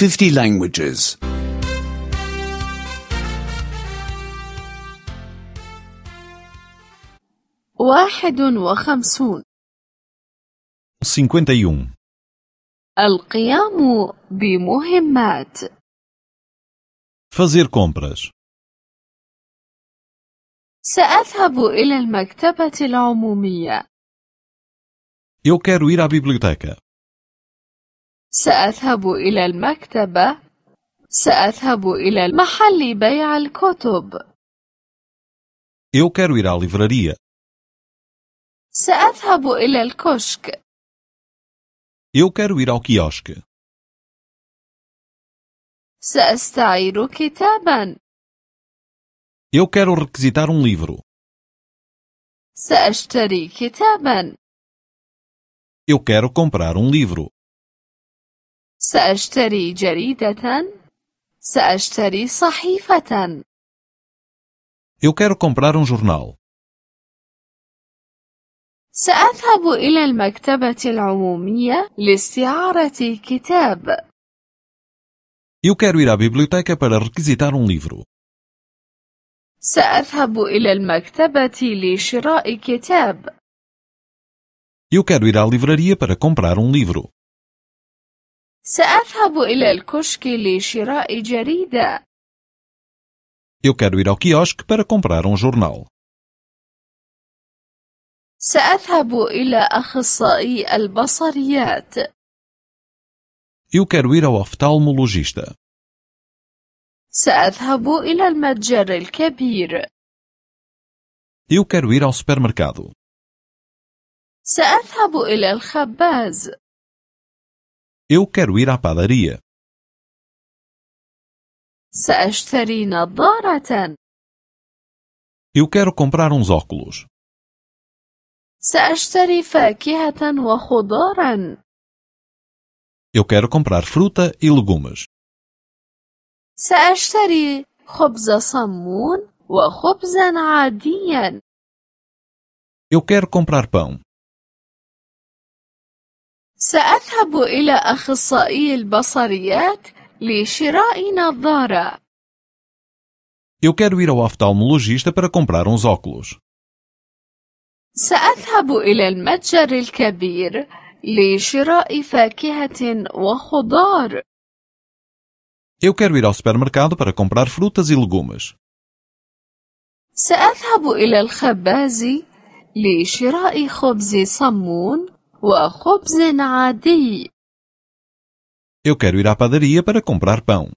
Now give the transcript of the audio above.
50 languages. 51. 51. القيام بمهمات. Fazer compras. سأذهب إلى المكتبة العمومية. Eu quero ir à biblioteca. سأذهب إلى المكتبة. سأذهب إلى محل بيع الكتب. Eu quero ir à livraria. سأذهب إلى الكشك. Eu quero ir ao quiosque. سأستعير كتابا. Eu quero requisitar um livro. سأشتري كتابا. Eu quero comprar um livro. سأشتري جريدة. سأشتري صحيفة. Eu quero comprar um jornal. سأذهب إلى المكتبة العمومية لاستعارة كتاب. Eu quero ir à biblioteca para requisitar um livro. سأذهب إلى المكتبة لشراء كتاب. Eu quero ir à livraria para comprar um livro. سأذهب إلى الكشك لشراء جريدة. Eu quero ir ao quiosque para comprar um jornal. سأذهب إلى أخصائي البصريات. Eu quero ir ao oftalmologista. سأذهب إلى المتجر الكبير. Eu quero ir ao supermercado. سأذهب إلى الخباز. Eu quero ir à padaria. سأشتري نظارة. Eu quero comprar uns óculos. سأشتري فاكهة وخضارا. Eu quero comprar fruta e legumes. سأشتري خبز صمون وخبزا عاديا. Eu quero comprar pão. سأذهب إلى أخصائي البصريات لشراء نظارة. Eu quero ir ao oftalmologista para comprar uns óculos. سأذهب إلى المتجر الكبير لشراء فاكهة وخضار. Eu quero ir ao supermercado para comprar frutas e legumes. سأذهب إلى الخباز لشراء خبز صمون وخبز عادي. Eu quero ir à padaria para comprar pão.